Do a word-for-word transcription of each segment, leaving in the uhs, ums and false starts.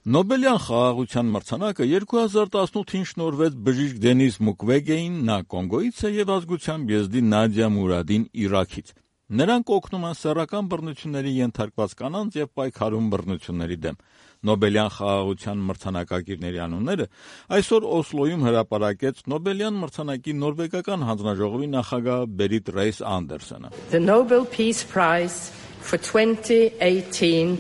Նոբելյան խաղաղության մրցանակը երկու հազար տասնութին շնորհվեց բժիշկ Դենիս Մուկվեգեին, նա Կոնգոից է, եւ ազգությամբ եզդի Նադիա Մուրադին Իրաքից։ Նրանք օգնում են սեռական բռնությունների ենթարկված կանանց եւ պայքարում բռնությունների դեմ։ Նոբելյան խաղաղության մրցանակակիրների անունները այսօր Օսլոյում հրապարակեց Նոբելյան մրցանակի նորվեգական հանձնաժողովի նախագահ Բերիտ Ռեյս Անդերսոնը։ The Nobel Peace Prize for twenty eighteen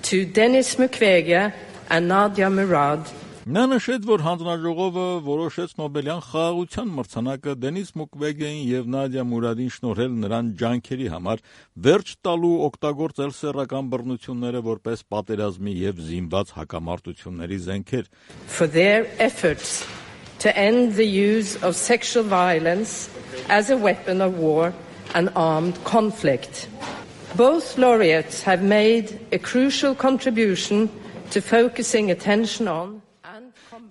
to Denis Mukwege and Nadia Murad. Նա նշեց, որ հանձնաժողովը որոշեց Նոբելյան խաղաղության մրցանակը Դենիս Մուկվեգեին եւ Նադիա Մուրադին շնորհել նրան ջանքերի համար վերջ տալու օգտագործել սեռական բռնությունները որպես պատերազմի եւ զինված հակամարտությունների զենքեր. For their efforts to end the use of sexual violence as a weapon of war and armed conflict. Both laureates have made a crucial contribution to focusing attention on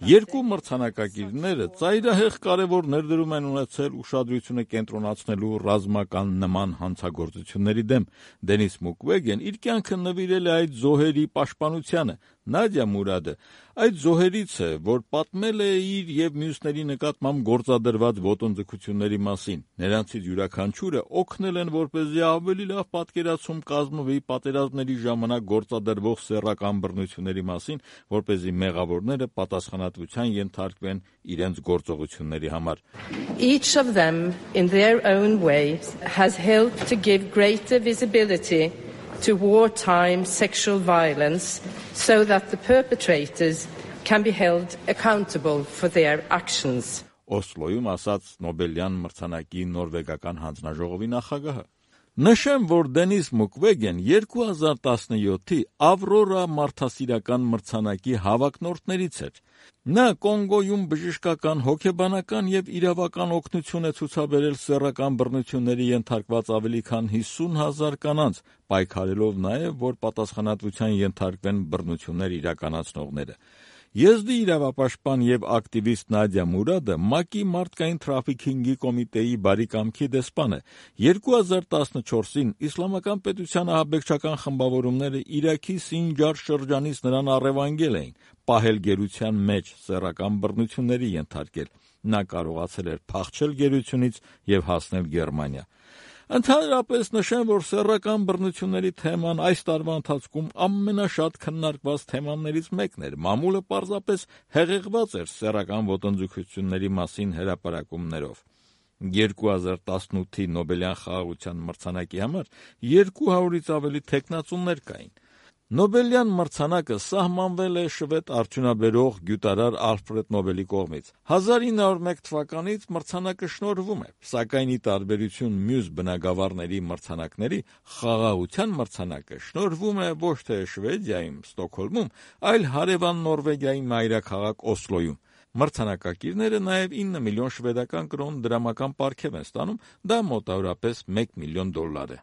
Երկու մրցանակակիրները ծայրահեղ կարևոր ներդրում են ունեցել ուշադրությունը կենտրոնացնելու ռազմական նման հանցագործությունների դեմ։ Դենիս Մուկվեգեն իր կյանքը նվիրել է այդ զոհերի պաշտպանությանը։ Նադիա Մուրադը այդ զոհերից է, որ պատմել է իր եւ մյուսների նկատմամբ գործադրված ոտնձգությունների մասին։ Նրանցից յուրաքանչյուրը օգնել են, որպեսզի ավելի լավ պատկերացում կազմվի պատերազմների ժամանակ գործադրվող սեռական բռնությունների մասին, որպեսզի մեղավորները պատասխանատվության ենթարկվեն իրենց գործողությունների համար։ Each of them in their own way has helped to give greater visibility to wartime sexual violence so that the perpetrators can be held accountable for their actions. Օսլոյում ասաց Նոբելյան մրցանակի նորվեգական հանձնաժողովի նախագահը։ Նշեմ, որ Դենիս Մուկվեգեն երկու հազար տասնյոթի Ավրորա մարդասիրական մրցանակի հավակնորդներից էր։ Նա Կոնգոյում բժշկական, հոգեբանական եւ իրավական օգնություն է ցուցաբերել սեռական բռնությունների ենթարկված ավելի քան հիսուն հազար կանանց, պայքարելով նաեւ, որ պատասխանատվության ենթարկվեն բռնություններ իրականացնողները։ Եզդի իրավապաշտպան եւ ակտիվիստ Նադիա Մուրադը ՄԱԿ-ի մարդկային թրաֆիքինգի կոմիտեի բարեկամքի դեսպան է։ երկու հազար տասնչորսին իսլամական պետության ահաբեկչական խմբավորումները Իրաքի Սինջար շրջանից նրան առևանգել էին, պահել գերության մեջ, սեռական բռնությունների ենթարկել։ Նա կարողացել էր փախչել գերությունից եւ հասնել Գերմանիա։ Ընդհանրապես նշեմ, որ սեռական բռնությունների թեման այս տարվա ընթացքում ամենաշատ քննարկված թեմաներից մեկն էր։ Մամուլը պարզապես հեղեղված էր սեռական ոտնձգությունների մասին հրապարակումներով։ երկու հազար տասնութի Նոբելյան խաղաղության մրցանակի համար երկու հարյուրից ավելի թեկնածուներ կային։ Նոբելյան մրցանակը սահմանվել է շվեդ արդյունաբերող գյուտարար Ալֆրեդ Նոբելի կողմից։ հազար ինը հարյուր մեկ թվականից մրցանակը շնորհվում է, սակայն ի տարբերություն մյուս բնագավառների մրցանակների, խաղաղության մրցանակը շնորհվում է ոչ թե Շվեդիայում, Ստոկհոլմում, այլ հարևան Նորվեգիայի մայրաքաղաք Օսլոյում։ Մրցանակակիրները նաև ինը միլիոն շվեդական կրոն դրամական պարգև են ստանում, դա մոտավորապես մեկ միլիոն դոլար է։